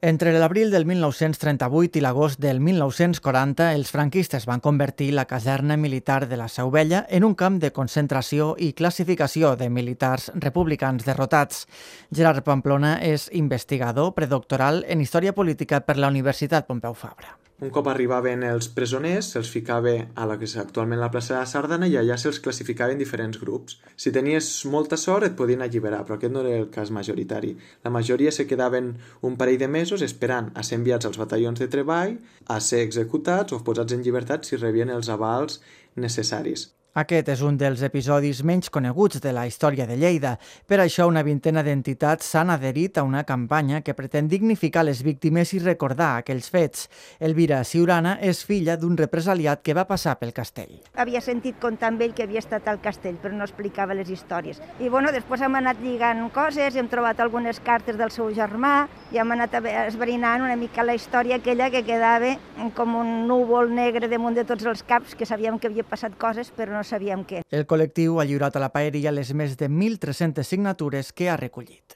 Entre l'abril del 1938 i l'agost del 1940, els franquistes van convertir la caserna militar de la Seu Vella en un camp de concentració i classificació de militars republicans derrotats. Gerard Pamplona és investigador predoctoral en Història Política per la Universitat Pompeu Fabra. Un cop arribaven els presoners, se'ls ficava a la que és actualment la plaça de la Sardana i allà se'ls classificava en diferents grups. Si tenies molta sort et podien alliberar, però aquest no era el cas majoritari. La majoria se quedaven un parell de mesos esperant a ser enviats als batallons de treball, a ser executats o posats en llibertat si rebien els avals necessaris. Aquest és un dels episodis menys coneguts de la història de Lleida. Per això, una vintena d'entitats s'han adherit a una campanya que pretén dignificar les víctimes i recordar aquells fets. Elvira Ciurana és filla d'un represaliat que va passar pel castell. Havia sentit contar amb ell que havia estat al castell, però no explicava les històries. I després hem anat lligant coses, hem trobat algunes cartes del seu germà i hem anat esbrinant una mica la història aquella que quedava com un núvol negre damunt de tots els caps, que sabíem que havia passat coses, però no sabíem què. El col·lectiu ha lliurat a la paeria les més de 1.300 signatures que ha recollit.